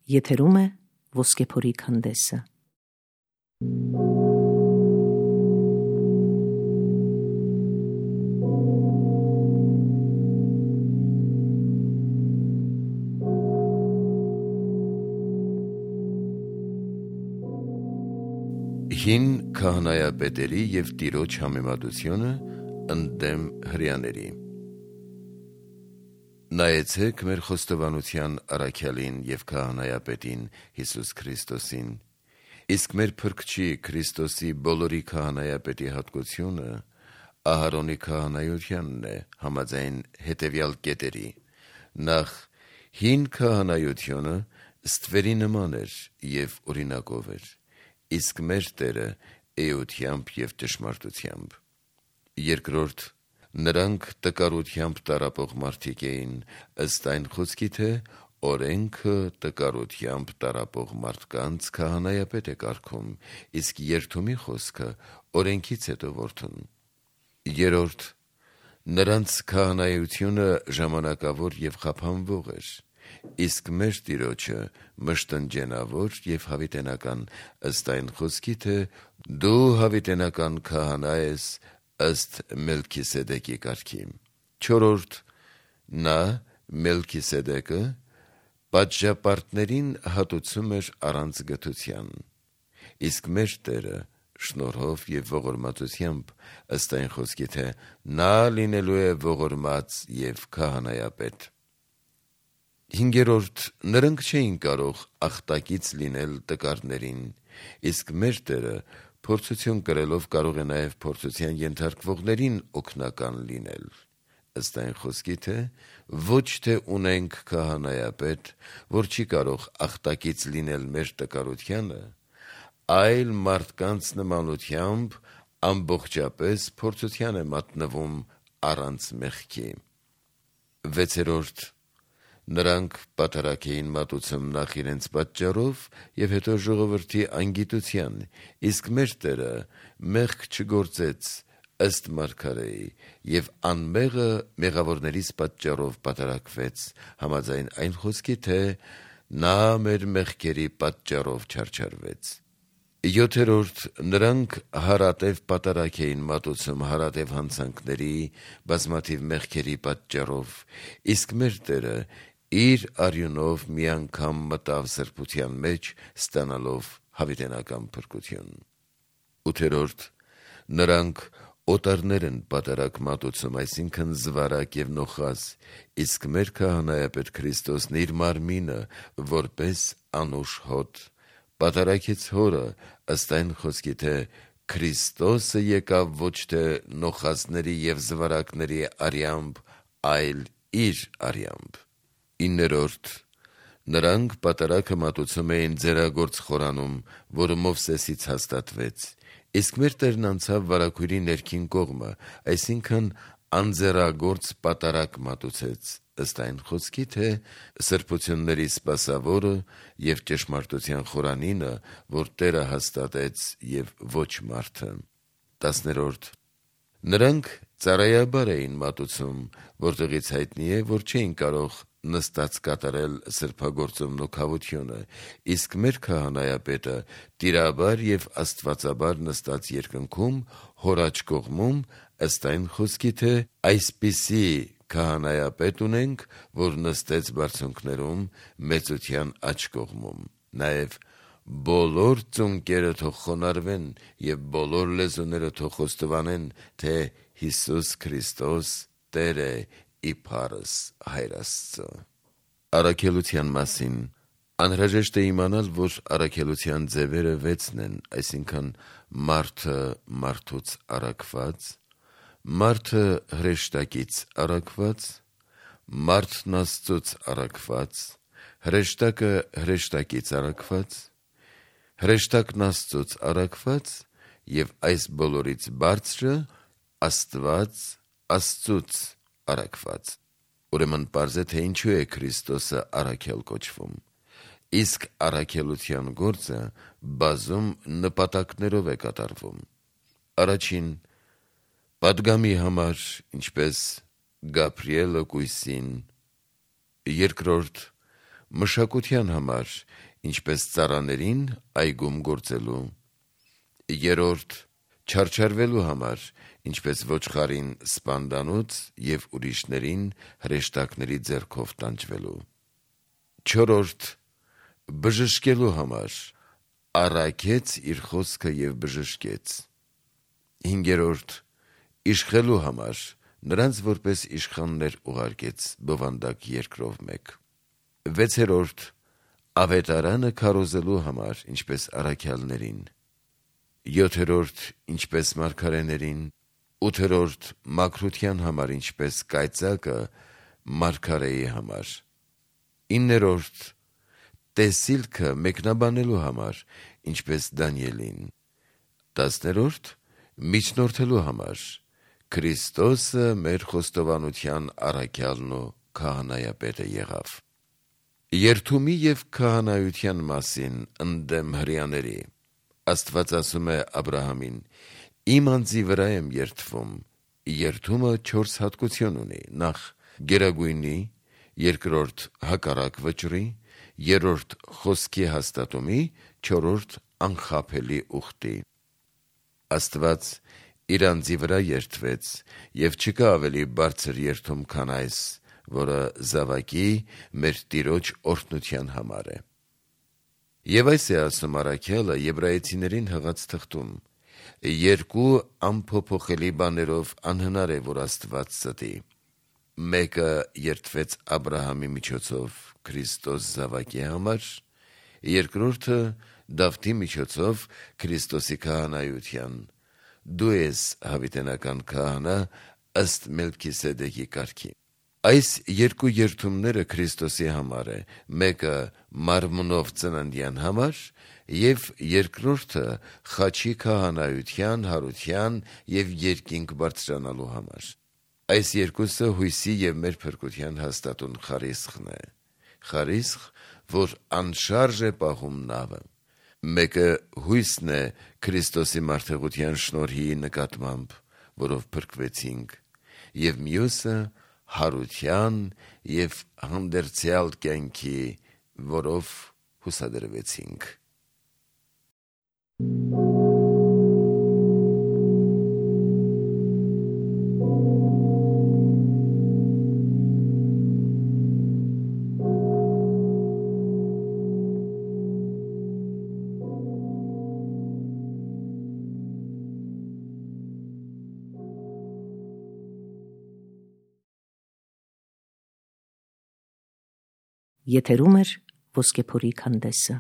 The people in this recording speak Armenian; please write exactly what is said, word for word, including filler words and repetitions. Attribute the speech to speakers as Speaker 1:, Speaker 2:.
Speaker 1: Եթերում է Ոսկեփորի քանդեսը։
Speaker 2: Հին քահանայապետերի և Տիրոջ համեմատությունը ընդդեմ հրեաների։ Նայեցեք մեր խոստովանության առաքյալին և քահանայապետին Հիսուս Քրիստոսին, իսկ մեր Փրկչի Քրիստոսի բոլորի քահանայապետի հատկությունը Ահարոնի քահանայությանն է, համաձայն հետևյալ կետերի. Նախ, հին քահանայությունը ստվերի նման էր և օրինակով էր, իսկ մեր Տերը էությամբ և ճշմարտությամբ։ Երկրորդ, նրանք տկարությամբ տառապող մարդիկ էին, ըստ այն խոսքի, թե օրենքը տկարությամբ տառապող մարդկանց քահանայապետ է կարգում, իսկ երդումի խոսքը օրենքից հետո որդուն։ Երրորդ, նրանց քահանայությունը ժամանակավոր և խափանվող էր, իսկ մեր Տիրոջը մշտնջենավոր և հավիտենական, ըստ այն խոսքի, թե դու հավիտենական քահանա ես ըստ Մելքիսեդեկի կարգի։ Չորրորդ, նա Մելքիսեդեկը պատժապարտներին հատուցում էր առանց գթության, իսկ մեր Տերը շնորհով և ողորմածությամբ, ըստ այն խոսքի, թե նա լինելու է ողորմած և քահանայապետ։ Հինգերորդ, նրանք չէին կարող ախտակից լինել տկարներին, իսկ մեր Տերը փորձություն կրելով կարող է նաև փորձության ենթարկվողներին օգնական լինել, ըստ այն խոսքի, թե ոչ թե ունենք քահանայապետ, որ չի կարող ախտակից լինել մեր տկարությանը, այլ մարդկանց նմանությամբ ամբողջապես փորձության է մատնվում առանց մեղքի։ Վեցերորդ, նրանք պատարագ էին մատուցում նախ իրենց պատճառով և հետո ժողովրդի անգիտության, իսկ մեր Տերը մեղք չգործեց ըստ մարգարեի և անմեղը մեղավորներից պատճառով պատարագվեց, համաձայն այն խոսքի, թե նա մեր մեղքերի պատճառով չարչարվեց։ Յոթերորդ, նրանք հարատև պատարագ էին մատուցում հարատև հանցանքների, բազմաթիվ մեղքերի պատճառով, իսկ մեր Տերը իր արյունով մի անգամ մտավ սրբության մեջ, ստանալով հավիտենական փրկություն։ Ութերորդ, նրանք օտարներ են պատարագ մատուցում, այսինքն զվարակ և նոխազ, իսկ մեր քահանայապետ Քրիստոսն իր մարմինը որպես անուշ հոտ պատարագեց հորը, ըստ այն խոսքի, թե Քրիստոսը եկավ ոչ թե նոխազների և զվարակների արյամբ, այլ իր արյամբ։ Իններորդ, նրանք պատարագը մատուցում էին ձեռագործ խորանում, որը Մովսեսից հաստատվեց, իսկ մեր Տերն անցավ վարագույրի ներքին կողմը, այսինքն անձեռագործ պատարագ մատուցեց, ըստ այն խոսքի, թե սրբությունների սպասավորը և ճշմարտության խորանինը, որ Տերը հաստատեց և ոչ մարդը։ Տասներորդ, նրանք ծառայաբար էին մատուցում, որտեղից հայտնի է, որ չէին կարող նստած կատարել սրբագործումն ու քավությունը, իսկ մեր քահանայապետը տիրաբար և աստվածաբար նստած երկնքում, հոր աջ կողմում, ըստ այն խոսքի, թե այսպիսի քահանայապետ ունենք, որ նստեց բարձունքներում, մեծության աջ կողմում։ Նաև բոլոր ծունկերը թող խոնարհվեն և բոլոր լեզուները թող խոստովանեն, թե Հիսուս Քրիստոս Տեր է իբարս Հայր Աստծո։ Առաքելության մասին։ Անհրաժեշտ է իմանալ, որ առաքելության ձևերը վեցն են, այսինքն մարդը մարդուց առաքված, մարդը հրեշտակից առաքված, մարդն Աստծուց առաքված, հրեշտակը հրեշտակից առաքված, հրեշտակն Աստծուց առաքված և այս բոլորից բարձրը Աստված Աստծուց առաքված։ Ուրեմն պարզ է, թե ինչու է Քրիստոսը առաքյալ կոչվում, իսկ առաքելության գործը բազում նպատակներով է կատարվում։ Առաջին՝ պատգամի համար, ինչպես Գաբրիելը կույսին։ Երկրորդ՝ մշակության համար, ինչպես ծառաներին այգում գործելու, երրորդ չարչարվելու համար, ինչպես ոչխարին սպանդանոց և ուրիշներին հրեշտակների ձեռքով տանջվելու, չորրորդ բժշկելու համար, առաքեց իր խոսքը և բժշկեց, հինգերորդ իշխելու համար, նրանց որպես իշխաններ ուղարկեց բովանդակ երկրով մեկ, վեցերորդ ավետարանը քարոզելու համար, ինչպես առաքյալներին, յոթերորդ ինչպես մարգարեներին, ութերորդ մաքրության համար, ինչպես կայծակը մարգարեի համար, իններորդ տեսիլքը մեկնաբանելու համար, ինչպես Դանիելին, տասներորդ միջնորդելու համար, Քրիստոսը մեր խոստովանության առաքյալն ու քահանայապետը եղավ, երդումի և քահանայության մասին ընդդեմ հրեաների, Աստված ասում է Աբրահամին. իմ անձի վրա եմ երդվում, երդումը չորս հատկություն ունի, նախ գերագույնի, երկրորդ հակառակ վճռի, երրորդ խոսքի հաստատումի, չորրորդ անխաբելի ուխտի, Աստված իր անձի վրա երդվեց և չկա ավելի բարձր երդում, քան այս, որը զավակի մեր Տիրոջ օրհնության համար է, և այս է ասում առաքյալը Եբրայեցիներին հղած թղթում. երկու անփոփոխելի բաներով անհնար է, որ Աստված ստի, մեկը երդվեց Աբրահամի միջոցով Քրիստոս զավակի համար, երկրորդը Դավթի միջոցով Քրիստոսի քահանայության, դու ես հավիտենական քահանա ըստ Մելքիսեդեկի կարգի, այս երկու երդումները Քրիստոսի համար է, մեկը մարմնով ծննդյան համար և երկրորդը խաչի քահանայության, հարության և երկինք բարձրանալու համար, այս երկուսը հույսի և մեր փրկության հաստատուն խարիսխն է, խարիսխ, որ անշարժ է պահում նավը, մեկը հույսն է Քրիստոսի մարդեղության շնորհի նկատմամբ, որով փրկվեցինք, և մյուսը հարության և հանդերձյալ կյանքի, որով հուսադրվեցինք:
Speaker 1: Եթերում է Ոսկեփորի քանդեսը։